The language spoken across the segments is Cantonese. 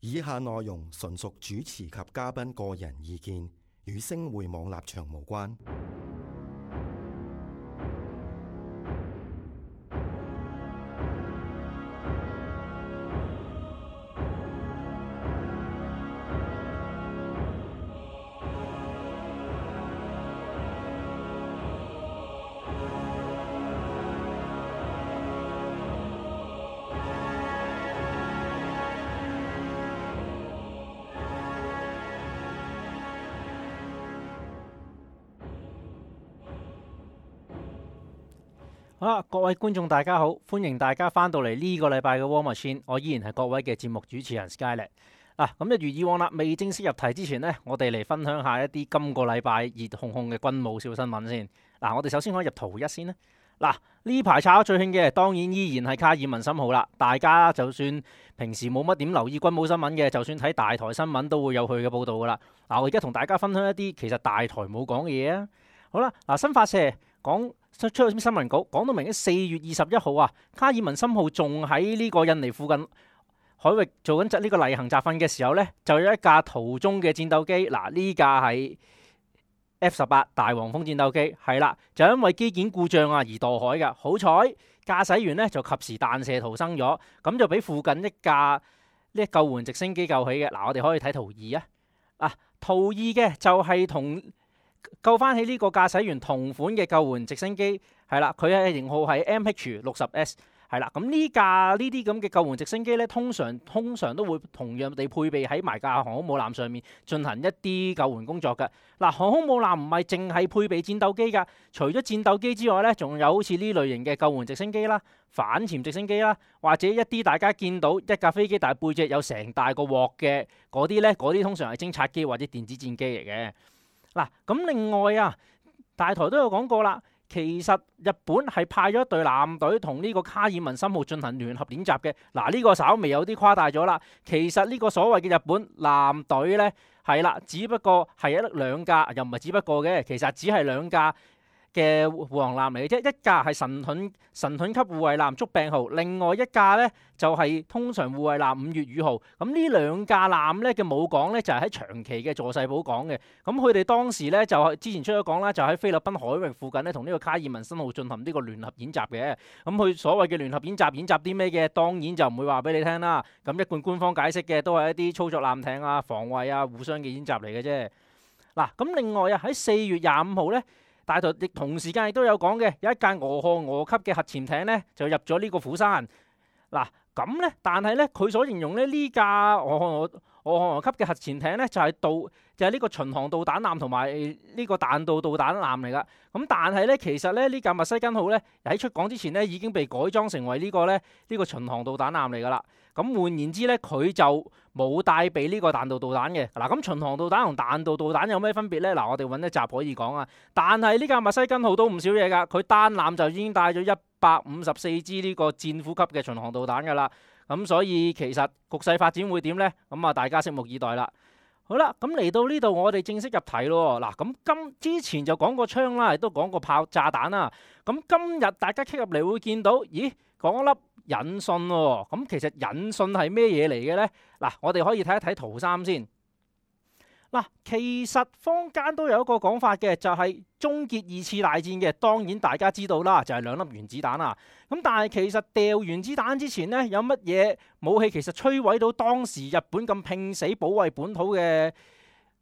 以下內容純屬主持及嘉賓個人意見，與星匯網立場無關。好啦，各位觀眾大家好，歡迎大家翻到嚟呢個禮拜嘅 War Machine，我依然係各位嘅節目主持人 Skynet。咁一如以往啦，未正式入題之前呢，我哋嚟分享下一啲今個禮拜熱烘烘嘅軍武小新聞先。我哋首先可以入圖一先啦。呢排炒得最興嘅當然依然係卡爾文森號啦。大家就算平時冇乜點留意軍武新聞嘅，就算睇大台新聞都會有佢嘅報導噶啦。我而家同大家分享一啲其實大台冇講嘅嘢啊。好啦，新華社出咗新聞稿，講到明喺4月21號啊，卡爾文森號仲喺呢個印尼附近海域做緊呢個例行集訓嘅時候呢，就有一架途中嘅戰鬥機，呢架係 F-18大黃蜂戰鬥機，係啦，就因為機件故障而墮海嘅，好彩駕駛員呢就及時彈射逃生咗，咁就俾附近一架救援直升機救起嘅。我哋可以睇圖2啊，圖2嘅就係同救翻起呢個駕駛員同款嘅救援直升機，係啦，佢嘅型號係 MH-60S， 係啦。咁呢啲咁嘅救援直升機咧，通常都會同樣地配備喺埋架航空母艦上面進行一啲救援工作嘅。航空母艦唔係淨係配備戰鬥機噶，除咗戰鬥機之外咧，仲有好似呢類型嘅救援直升機啦、反潛直升機啦，或者一啲大家見到一架飛機但係背脊有成大個鑊嘅嗰啲咧，嗰啲通常係偵察機或者電子戰機嚟嘅。咁另外大台都有講過啦，其實日本係派咗一隊艦隊同呢個卡爾文森號進行聯合演習嘅。呢個稍微有啲誇大咗啦。其實呢個所謂嘅日本艦隊呢，係啦，只不過係兩架，又唔係只不過嘅，其實只係兩架嘅護航艦嚟嘅啫，一架係神盾級護衛艦竹柄號，另外一架呢就係通常護衛艦五月雨號。咁呢兩架艦呢嘅母港呢就係喺長崎嘅佐世保港嘅。咁佢哋當時呢就係之前出咗港啦，就喺菲律賓海域附近呢同呢個卡爾文森號進行呢個聯合演習嘅。咁佢所謂嘅聯合演習啲咩嘅，當然就唔會話俾你聽啦。咁一貫官方解釋嘅都係一啲操作艦艇啊、防衛啊、互相嘅演習嚟嘅啫。咁另外喺4月25號呢。大台亦同時間亦都有講嘅，有一架俄亥俄級嘅核潛艇呢，就入咗呢個釜山。咁呢，但係呢，佢所形容呢架俄亥俄級嘅核潛艇呢，就係呢個巡航導彈艦同埋呢個彈道導彈艦嚟噶。咁但係呢，其實呢架密西根號呢，喺出港之前呢，已經被改裝成為呢個巡航導彈艦嚟噶啦。咁換言之呢，佢就冇帶備呢個彈道導彈嘅。咁巡航導彈同彈道導彈有咩分別呢？我哋揾一集可以講啊。但係呢架密西根號都唔少嘢噶，佢單艦就已經帶咗154支呢個戰虎級嘅巡航導彈噶啦。咁所以其實局勢發展會點呢？咁大家拭目以待啦。好啦，咁嚟到呢度我哋正式入題咯。咁之前就講過槍啦，亦都講過炸彈啦。咁今日大家 click 入嚟會見到，咦，講一粒引信喎。咁其實引信係咩嘢嚟嘅呢？我哋可以睇一睇圖3先。其實坊間都有一個講法嘅，就係終結2次大戰嘅。當然大家知道啦，就係2粒原子彈啊。咁但係其實掉原子彈之前呢，有乜嘢武器其實摧毀到當時日本咁拼死保衛本土嘅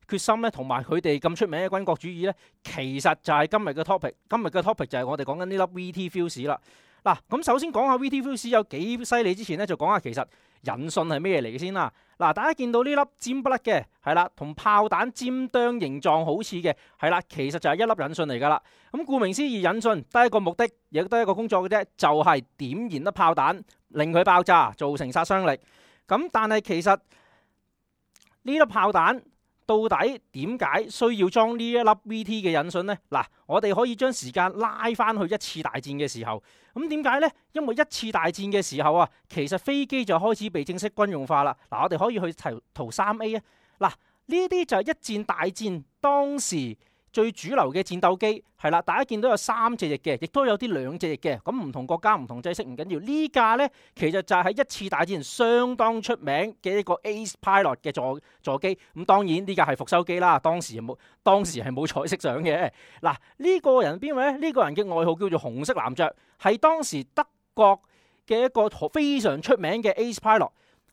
決心呢？同埋佢哋咁出名嘅軍國主義呢？其實就係今日嘅 topic。今日嘅 topic 就係我哋講緊呢粒 VT Fuse 啦。咁首先講下 VT Fuse 有幾犀利之前呢，就講下其實引信係咩嚟嘅先啦。大家見到呢粒尖不甩嘅，係啦，同炮彈尖端形狀好似嘅，係啦，其實就係一粒引信嚟噶啦。咁顧名思義，引信得一個目的，亦都係一個工作嘅啫，就係點燃粒炮彈，令佢爆炸，造成殺傷力。咁但係其實呢粒炮彈到底點解需要裝呢一粒 VT 嘅引信呢？我哋可以將時間拉翻去1次大戰嘅時候。咁點解呢？因為1次大戰嘅時候其實飛機就開始被正式軍用化啦。我哋可以去圖 3A 啊。呢啲就係1戰大戰當時最主流嘅戰鬥機係啦，大家見到有3隻翼嘅，亦都有啲2隻翼嘅。咁唔同國家唔同制式唔緊要。呢架呢，其實就係喺一次大戰相當出名嘅一個 Ace Pilot 嘅座機。咁當然呢架係復修機啦，當時係冇彩色相嘅。嗱，呢個人邊位呢？呢個人嘅外號叫做紅色男爵，係當時德國嘅一個非常出名嘅 Ace Pilot。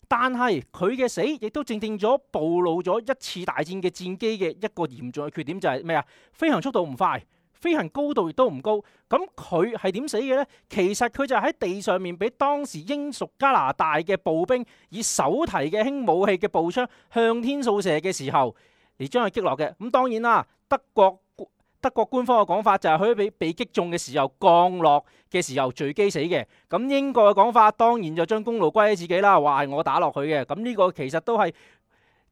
但係佢嘅死亦都正咗暴露咗一次大戰嘅戰機嘅一個嚴重嘅缺點，就係咩啊？飛行速度唔快，飛行高度亦都唔高。咁佢係點死嘅呢？其實佢就喺地上面俾當時英屬加拿大嘅步兵以手提嘅輕武器嘅步槍向天掃射嘅時候嚟將佢擊落嘅。咁當然啦，德國官方嘅講法就係佢被擊中嘅時候降落嘅時候墜機死嘅。咁英國嘅講法當然就將功勞歸喺自己啦，話係我打落去嘅。咁呢個其實都係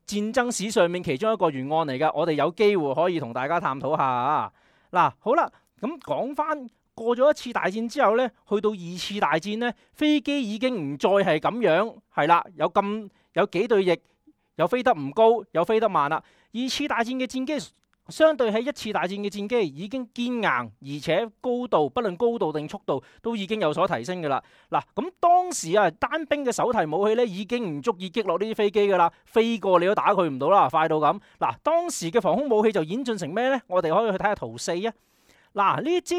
戰爭史上面其中一個懸案嚟㗎。我哋有機會可以同大家探討下啊。嗱，好啦，咁講翻過咗一次大戰之後呢，去到2次大戰呢，飛機已經唔再係咁樣，係啦，有幾對翼，又飛得唔高，又飛得慢啦。2次大戰嘅戰機相對喺1次大戰嘅戰機已經堅硬，而且高度，不論高度定速度都已經有所提升㗎啦。嗱，咁當時啊，單兵嘅手提武器咧已經唔足以擊落呢啲飛機㗎啦，飛過你都打佢唔到啦，快到咁。嗱，當時嘅防空武器就演進成咩呢？我哋可以去睇下圖4啊。嗱，呢支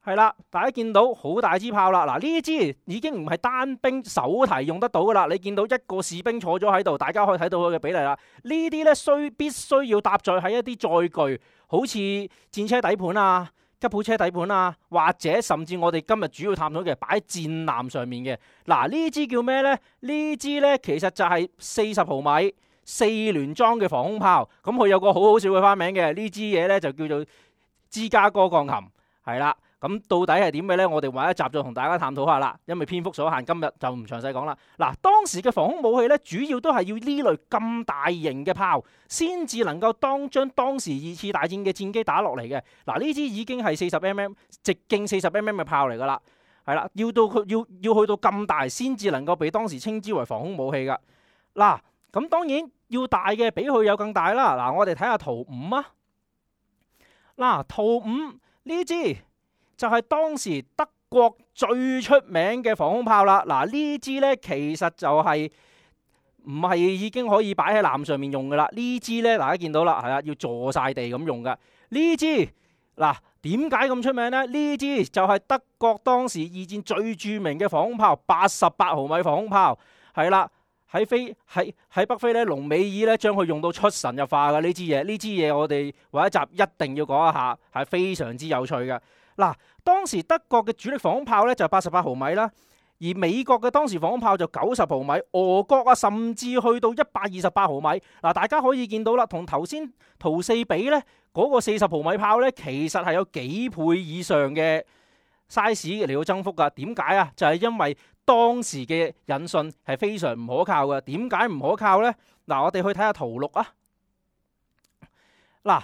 係啦，大家見到好大支炮啦。嗱，呢支已經唔係單兵手提用得到噶啦。你見到一個士兵坐咗喺度，大家可以睇到佢嘅比例啦。呢啲咧必須要搭載喺一啲載具，好似戰車底盤啊、吉普車底盤啊，或者甚至我哋今日主要探討嘅擺喺戰艦上面嘅。嗱，呢支叫咩呢？呢支呢其實就係40毫米4聯裝嘅防空炮。咁佢有個好笑嘅花名嘅，呢支嘢呢就叫做芝加哥鋼琴，係啦。咁到底係點嘅呢？我哋揾一集再同大家探討下啦。因為篇幅所限，今日就唔詳細講啦。嗱，當時嘅防空武器呢，主要都係要呢類咁大型嘅炮，先至能夠將當時2次大戰嘅戰機打落嚟嘅。嗱，呢支已經係40mm直徑40mm嘅炮嚟噶啦，係啦，要去到咁大，先至能夠被當時稱之為防空武器噶。嗱，咁當然要大嘅比佢有更大啦。嗱，我哋睇下圖5啊。嗱，圖5呢支就係當時德國最出名嘅防空炮啦。嗱，呢支呢其實就係唔係已經可以擺喺艦上面用噶啦？呢支呢，大家見到啦，係啦，要坐晒地咁用噶。呢支嗱，點解咁出名呢？呢支就係德國當時2戰最著名嘅防空炮，88毫米防空炮，係啦，喺北非咧，隆美爾咧將佢用到出神入化嘅呢支嘢。呢支嘢我哋揾一集一定要講一下，係非常之有趣嘅。嗱，當時德國嘅主力防空炮咧就88毫米啦，而美國嘅當時防空炮就90毫米，俄國啊甚至去到128毫米。嗱，大家可以見到啦，同頭先圖4比咧，嗰個40毫米炮咧，其實係有幾倍以上嘅 size 嚟到增幅噶。點解啊？就係因為當時嘅引信係非常唔可靠嘅。點解唔可靠呢？嗱，我哋去睇下圖6啊。嗱，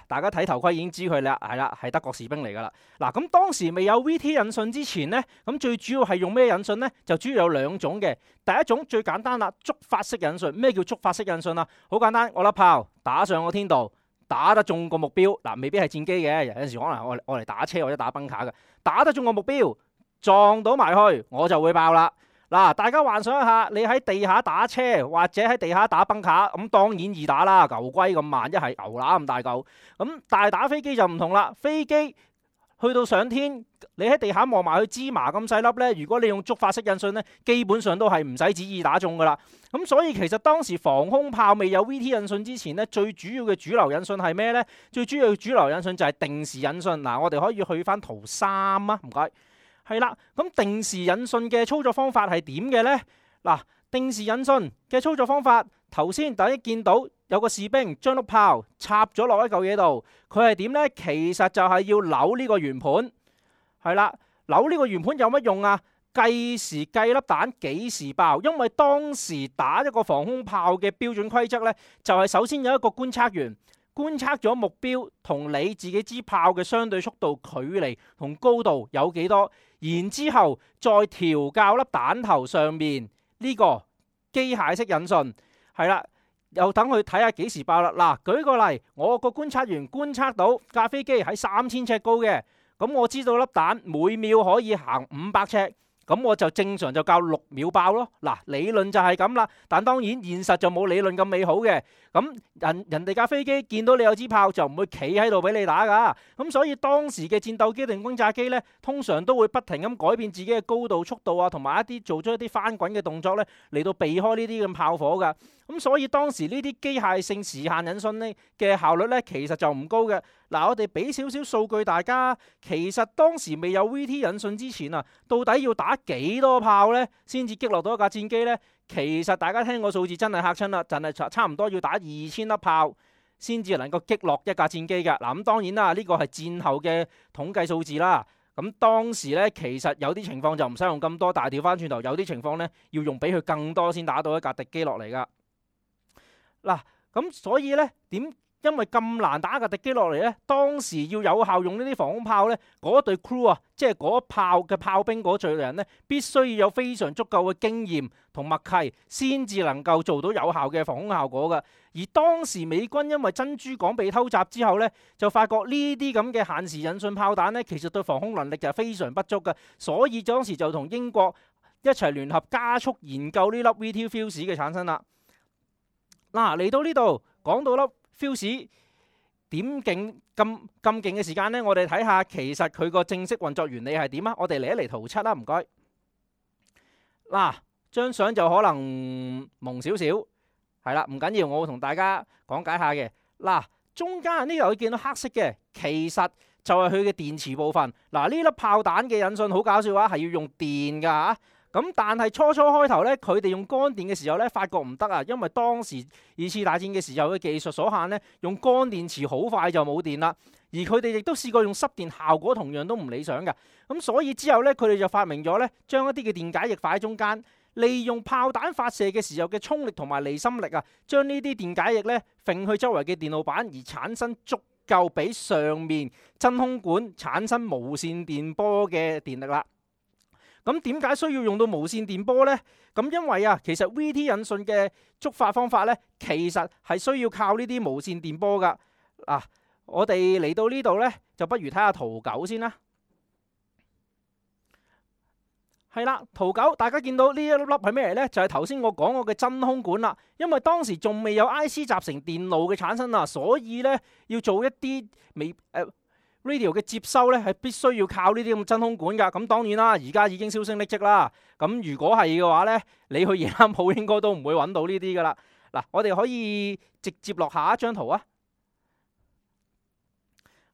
大家睇頭盔已經知佢啦，係啦，係德國士兵嚟噶啦。嗱，咁當時未有 VT 引信之前呢，咁最主要係用咩引信呢？就主要有2種嘅。第一種最簡單啦，觸發式引信。咩叫觸發式引信啊？好簡單，我粒炮打上個天度，打得中個目標。嗱，未必係戰機嘅，有陣時可能我嚟打車或者打崩卡嘅，打得中個目標，撞到埋去，我就會爆啦。嗱，大家幻想一下，你喺地下打車或者喺地下打崩卡，咁當然易打啦，牛龜咁慢，一係牛乸咁大嚿。咁但係打飛機就唔同啦，飛機去到上天，你喺地下望埋去芝麻咁細粒呢，如果你用觸發式引信呢，基本上都係唔使旨意打中噶啦。咁所以其實當時防空炮未有 VT 引信之前呢，最主要嘅主流引信係咩呢？最主要嘅主流引信就係定時引信。嗱，我哋可以去翻圖3啊，唔該。係啦，咁定時引信嘅操作方法係點嘅呢？嗱，定時引信嘅操作方法，頭先大家見到有個士兵將碌炮插咗落一嚿嘢度，佢係點呢？其實就係要扭呢個圓盤，係啦，扭呢個圓盤有乜用啊？計時計粒彈幾時爆，因為當時打一個防空炮嘅標準規則呢，就係首先有一個觀測員觀測咗目標同你自己支炮嘅相對速度、距離同高度有幾多，然之後再調校粒彈頭上面呢個機械式引信，係啦，又等佢睇下幾時爆啦。嗱，舉個例，我個觀察員觀察到架飛機喺3000尺高嘅，咁我知道粒彈每秒可以行500尺。咁我就正常就較6秒爆咯。嗱，理論就係咁啦，但當然現實就冇理論咁美好嘅。咁人哋架飛機見到你有支炮就唔會企喺度俾你打噶。咁所以當時嘅戰鬥機定轟炸機呢，通常都會不停咁改變自己嘅高度、速度啊，同埋做咗一啲翻滾嘅動作呢，嚟到避開呢啲咁炮火噶。咁所以當時呢啲機械性時限引信呢嘅效率呢，其實就唔高嘅。嗱，我哋俾少少數據大家，其實當時未有 VT 引信之前啊，到底要打幾多炮呢先至擊落到一架戰機呢？其實大家聽個數字真係嚇親啦，就係差唔多要打2000粒炮先至能夠擊落一架戰機嘅。嗱，咁當然啦，呢個係戰後嘅統計數字啦。咁當時呢，其實有啲情況就唔使用咁多，但係調翻轉頭，有啲情況呢，要用比佢更多先打到一架敵機落嚟噶。嗱，咁所以呢，因為咁難打架敵機落嚟呢，當時要有效用呢啲防空炮呢，嗰隊 crew 啊，即係嗰炮嘅炮兵嗰隊人呢，必須要有非常足夠嘅經驗同默契，先至能夠做到有效嘅防空效果嘅。而當時美軍因為珍珠港被偷襲之後呢，就發覺呢啲咁嘅限時引信炮彈呢，其實對防空能力就係非常不足嘅，所以當時就同英國一齊聯合加速研究呢粒 VT Fuse 嘅產生啦。嗱，嚟到呢度講到粒Fuse 點勁咁勁嘅時間呢，我哋睇下其實佢個正式運作原理係點啊？我哋嚟一嚟圖7啦，唔該。嗱，張相就可能蒙少少，係啦，唔緊要，我會同大家講解下嘅。嗱，中間呢度會見到黑色嘅，其實就係佢嘅電池部分。嗱，呢粒炮彈嘅引信好搞笑啊，係要用電噶嚇。咁但係初開頭咧，佢哋用乾電嘅時候咧，發覺唔得啊，因為當時2次大戰嘅時候嘅技術所限咧，用乾電池好快就冇電啦。而佢哋亦都試過用濕電，效果同樣都唔理想嘅。咁所以之後咧，佢哋就發明咗咧，將一啲嘅電解液擺喺中間，利用炮彈發射嘅時候嘅衝力同埋離心力啊，將呢啲電解液咧揈去周圍嘅電路板，而產生足夠俾上面真空管產生無線電波嘅電力啦。咁點解需要用到無線電波呢？咁因為啊，其實 VT 引信嘅觸發方法呢，其實係需要靠呢啲無線電波噶。嗱，我哋嚟到呢度呢，就不如睇下圖9先啦。係啦，圖9大家見到呢一粒粒係咩嚟呢？就係頭先我講過嘅真空管啦。因為當時仲未有 IC 集成電路嘅產生啊，所以呢要做一啲radio 嘅接收咧，係必須要靠呢啲咁真空管噶。咁當然啦，而家已經銷聲匿跡啦。咁如果係嘅話咧，你去夜間鋪應該都唔會揾到呢啲噶啦。嗱，我哋可以直接落下一張圖啊。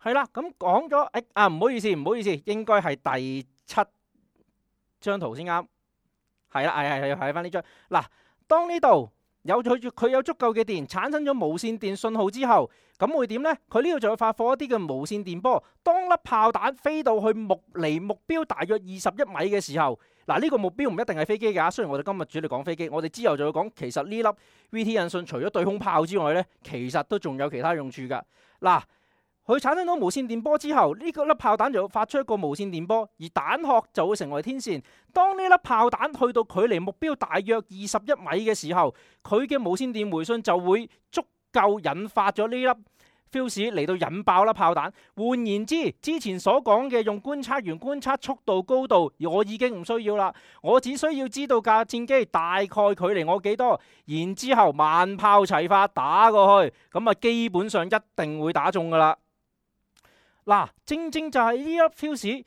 係啦，咁講咗，唔好意思，應該係第7張圖先啱。係啦，係睇翻呢張。嗱，當呢度佢有足夠嘅電，產生咗無線電信號之後，咁會點呢？佢呢度就會發放一啲嘅無線電波。當粒炮彈飛到去離目標大約21米嘅時候，嗱，呢個目標唔一定係飛機㗎。雖然我哋今日主要講飛機，我哋之後就會講，其實呢粒 VT 引信除咗對空炮之外呢，其實都仲有其他用處㗎。嗱，佢產生到無線電波之後，呢個粒炮彈就會發出一個無線電波，而彈殼就會成為天線。當呢粒炮彈去到距離目標大約21米嘅時候，佢嘅無線電回信就會足夠引發咗呢粒 fuse 嚟到引爆粒炮彈。換言之，之前所講嘅用觀察員觀察速度高度，我已經唔需要啦。我只需要知道架戰機大概距離我幾多，然之後萬炮齊發打過去，咁啊基本上一定會打中噶啦。嗱，正就係呢粒 fuse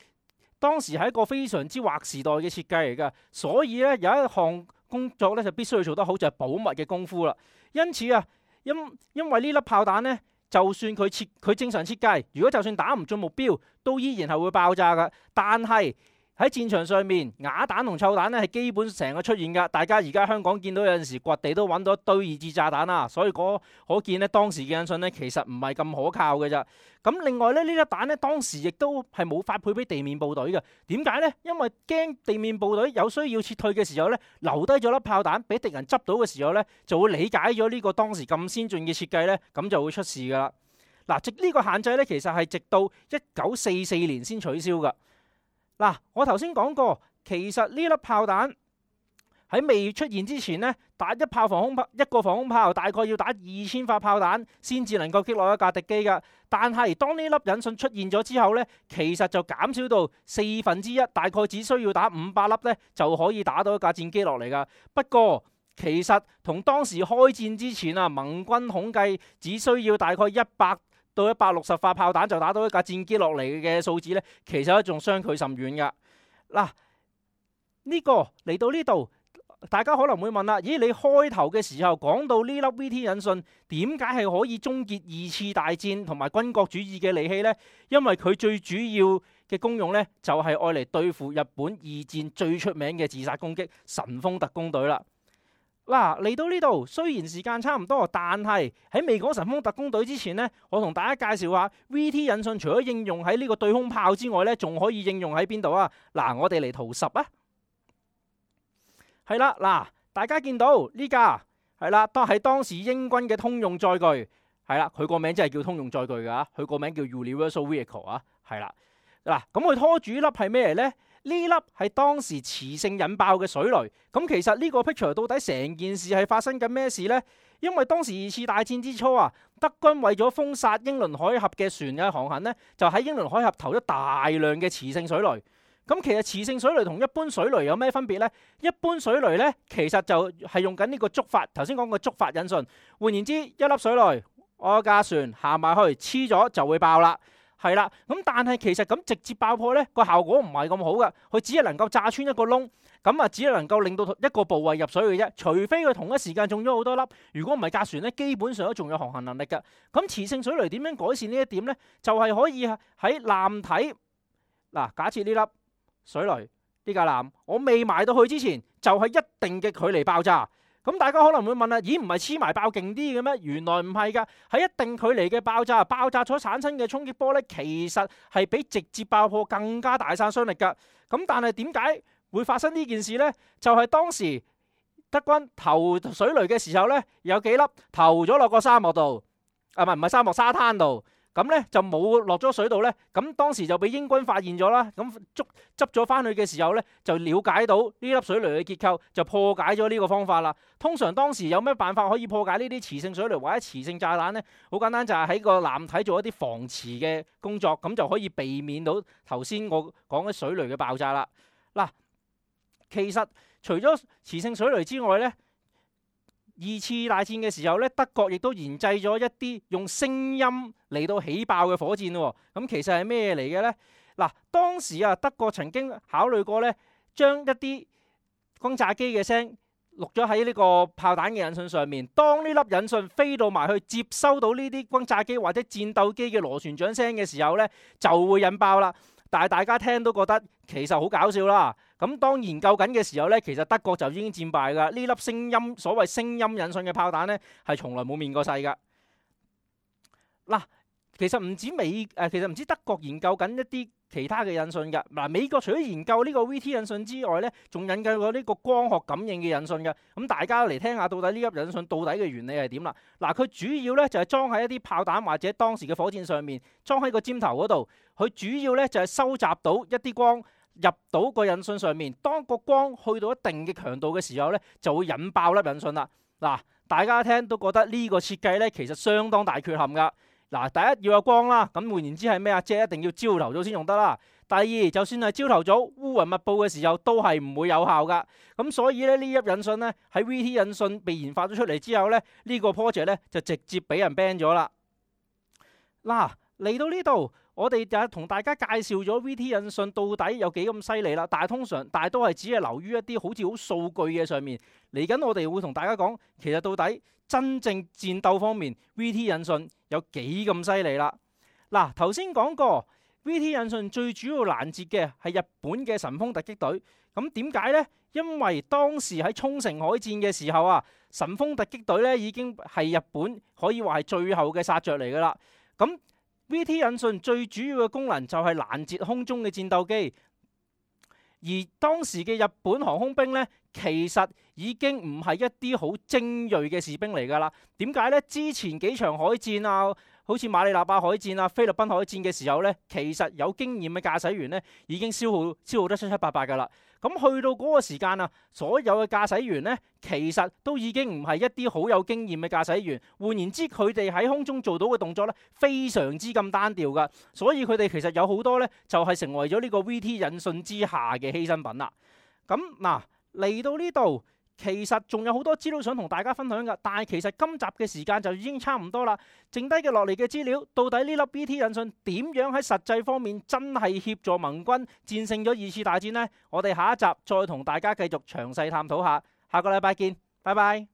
當時係一個非常之劃時代嘅設計嚟㗎，所以咧有一項工作咧就必須要做得好，就係保密嘅功夫啦。因此啊，因為呢粒炮彈咧，就算佢正常設計，如果就算打唔中目標，都依然係會爆炸㗎。但係喺戰場上面，啞彈同臭彈咧係基本成日出現㗎。大家而家香港見到有陣時掘地都揾到一堆二次炸彈啦，所以可見咧當時嘅引信咧其實唔係咁可靠嘅咋。咁另外咧呢粒彈咧當時亦都係冇發配俾地面部隊嘅。點解呢？因為驚地面部隊有需要撤退嘅時候咧，留低咗粒炮彈俾敵人執到嘅時候咧，就會理解咗呢個當時咁先進嘅設計咧，咁就會出事噶啦。嗱，呢個限制咧其實係直到1944年先取消噶。嗱，我頭先講過，其實呢粒炮彈喺未出現之前呢，打一個防空炮大概要打2000發炮彈先至能夠擊落一架敵機㗎。但係當呢粒引信出現咗之後呢，其實就減少到1/4，大概只需要打500粒呢就可以打到一架戰機落嚟㗎。不過其實同當時開戰之前啊，盟軍統計只需要大概100到160發炮彈就打到一架戰機落嚟嘅數字呢，其實仲相距甚遠㗎。嗱，呢個嚟到呢度。大家可能會問啦，咦？你開頭嘅時候講到呢粒 VT 引信點解係可以終結2次大戰同埋軍國主義嘅利器呢？因為佢最主要嘅功用呢，就係愛嚟對付日本2戰最出名嘅自殺攻擊神風特攻隊啦。嗱，嚟到呢度雖然時間差唔多，但係喺未講神風特攻隊之前呢，我同大家介紹下 VT 引信除咗應用喺呢個對空炮之外呢，仲可以應用喺邊度啊？嗱，我哋嚟圖10啊。係啦，嗱，大家見到呢架係啦，都係當時英軍嘅通用載具，係啦，佢個名真係叫通用載具噶，佢個名叫 Universal Vehicle 啊，係啦，嗱，咁佢拖住呢粒係咩嚟呢？呢粒係當時磁性引爆嘅水雷。咁其實呢個 picture 到底成件事係發生緊咩事呢？因為當時2次大戰之初啊，德軍為咗封殺英倫海峽嘅船嘅航行呢，就喺英倫海峽投咗大量嘅磁性水雷。咁其實磁性水雷同一般水雷有咩分別呢？一般水雷呢，其實就係用緊呢個觸發，頭先講個觸發引信。換言之，一粒水雷，我架船行埋去黐咗就會爆啦，係啦。咁但係其實咁直接爆破呢，個效果唔係咁好噶，佢只係能夠炸穿一個窿，咁啊只係能夠令到一個部位入水嘅啫。除非佢同一時間中咗好多粒，如果唔係架船呢，基本上都仲有航行能力噶。咁磁性水雷點樣改善呢一點呢？就係可以喺艦體嗱，假設呢粒水雷呢架艦，我未埋到去之前，就係一定嘅距離爆炸。咁大家可能會問啦，咦，唔係黐埋爆勁啲嘅咩？原來唔係噶，喺一定距離嘅爆炸所產生嘅衝擊波呢，其實係比直接爆破更加大殺傷力噶。咁但係點解會發生呢件事呢？就係當時德軍投水雷嘅時候呢，有幾粒投咗落個沙漠度，唔係沙漠，沙灘度。咁呢就冇落咗水度呢，咁當時就俾英軍發現咗啦。咁執咗翻去嘅時候呢，就了解到呢粒水雷嘅結構，就破解咗呢個方法啦。通常當時有咩辦法可以破解呢啲磁性水雷或者磁性炸彈呢？好簡單，就係喺個艦體做一啲防磁嘅工作，咁就可以避免到頭先我講嘅水雷嘅爆炸啦。嗱，其實除咗磁性水雷之外呢，2次大戰嘅時候咧，德國亦都研製咗一啲用聲音嚟到起爆嘅火箭喎。咁其實係咩嚟嘅呢？嗱，當時啊，德國曾經考慮過咧，將一啲轟炸機嘅聲錄咗喺呢個炮彈嘅引信上面。當呢粒引信飛到埋去接收到呢啲轟炸機或者戰鬥機嘅螺旋槳聲嘅時候呢，就會引爆啦。但係大家聽都覺得其實好搞笑啦。咁當研究緊嘅時候呢，其實德國就已經戰敗㗎。呢粒所謂聲音引信嘅炮彈呢，係從來冇面過世㗎。嗱，其實唔止德國研究緊一啲其他嘅引信㗎。嗱，美國除咗研究呢個 VT 引信之外呢，仲研究過呢個光學感應嘅引信㗎。咁大家嚟聽下，到底呢粒引信到底嘅原理係點啦？嗱，佢主要呢就係裝喺一啲炮彈或者當時嘅火箭上面，裝喺個尖頭嗰度。佢主要呢就係收集到一啲光，入到個引信上面，當個光去到一定嘅強度嘅時候呢，就會引爆粒引信啦。嗱，大家聽都覺得呢個設計呢，其實相當大缺陷噶。嗱，第一要有光啦，咁換言之係咩啊？即係一定要朝頭早先用得啦。第二，就算係朝頭早烏雲密佈嘅時候，都係唔會有效噶。咁所以呢，呢粒引信呢，喺 VT 引信被研發咗出嚟之後呢，呢個 project 呢，就直接俾人 ban 咗啦。嗱，嚟到呢度，我哋就同大家介紹咗 VT 引信到底有幾咁犀利啦，但係都係只係留於一啲好似好數據嘅上面。嚟緊我哋會同大家講，其實到底真正戰鬥方面 VT 引信有幾咁犀利啦。嗱，頭先講過 VT 引信最主要攔截嘅係日本嘅神風突擊隊。咁點解呢？因為當時喺沖繩海戰嘅時候啊，神風突擊隊咧已經係日本可以話係最後嘅殺著嚟噶啦。咁VT 引信最主要嘅功能就係攔截空中嘅戰鬥機，而當時嘅日本航空兵呢，其實已經唔係一啲好精鋭嘅士兵嚟㗎啦。點解呢？之前幾場海戰啊，好似馬里納巴海戰啊、菲律賓海戰嘅時候呢，其實有經驗嘅駕駛員呢已經消耗得七七八八㗎啦。咁去到嗰個時間啊，所有嘅駕駛員呢，其實都已經唔係一啲好有經驗嘅駕駛員。換言之，佢哋喺空中做到嘅動作呢，非常之咁單調噶。所以佢哋其實有好多呢，就係成為咗呢個 VT 引信之下嘅犧牲品啦。咁嗱，嚟到呢度。其實仲有好多資料想同大家分享噶，但係其實今集嘅時間就已經差唔多啦。剩低嘅落嚟嘅資料，到底呢粒 VT 引信點樣喺實際方面真係協助盟軍戰勝咗二次大戰呢？我哋下一集再同大家繼續詳細探討下。下個禮拜見，拜拜。